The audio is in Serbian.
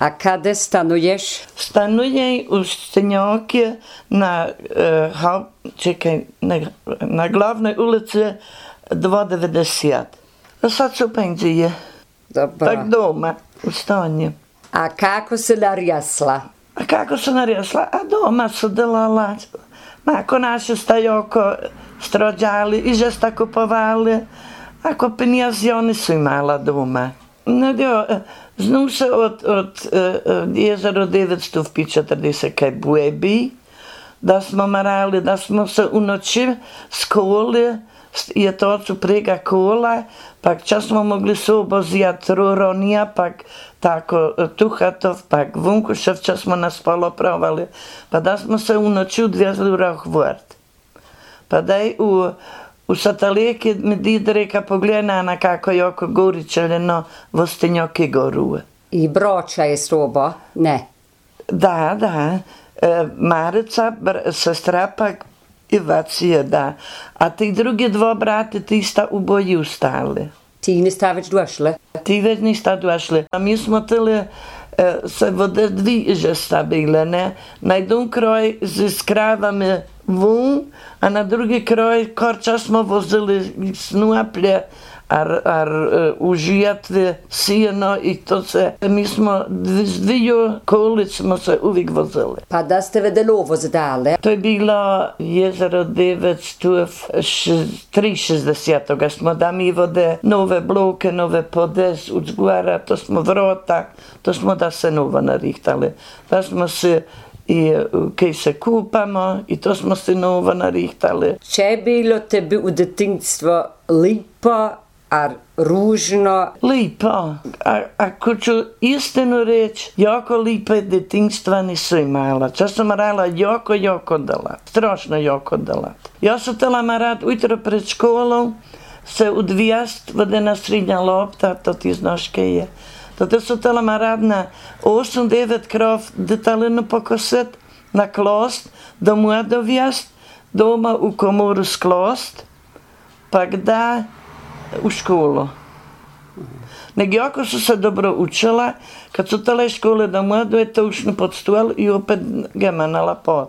A kada stanuješ? Stanujem u Stenjoki na glavnoj ulici 290. A sad su penzije. Dobro. Tak doma, u stanju. A kako se narjasla? A kako se narjasla? A doma su delala. Ako naši stajoko strođali i žesta kupovali. Ako penjazioni su imala doma. Znao se od 1940 kaj buebi, da smo marali, da smo se u noći skoli, je to su prega kola, pak čas smo mogli se obozijat ruronija, pak tako Tuhatov, pak Vunkušev, čas smo nas polopravali, pa da smo se u noći odvezli u Rohvort. Pa daj u Satalijeki mi dida reka pogledana kako je oko Goričeljeno v Stenjoki goruje. I Broča je sobo? Ne. Da. Marica, sestra pak i Vacija, da. A ti drugi dva brate, ti sta u boji ustali. Ti nista već došli? Ti već nista došli. A mi smo tili se vode dvi žesta bile, ne? Na jedan kraj s kravami vun, a na drugi kraj korča smo vozili snuaplje, ar užijatve sijeno i to se, mi smo s dviju kolic smo se uvijek vozili. Pa da ste vedelovo zdale? To je bilo jezero 963, smo da mi vode nove bloke, nove podes, udzgora, to smo vrota, to smo da se novo narihtali. Da smo se i kaj se kupamo i to smo se novo narihtali. Če je bilo tebi u detinjstvo lipo, a ružno? Lipo. Ako ću istinu reći, jako lipe detinjstva nisu imala. Čas sam morala jako delat. Strašno jako delat. Ja sam htjela marat ujutro pred školom se udvijast, vode na srednja lopta, to ti znaš kaj je. Tada sam htjela marat na 8-9 krov detalinu pokosit, na klost, doma dovijast, doma u komoru sklost, pa da u školu. Nego jako su se dobro učila, kad su tele škole doma, dojete ušli pod stol i opet ga manala pot.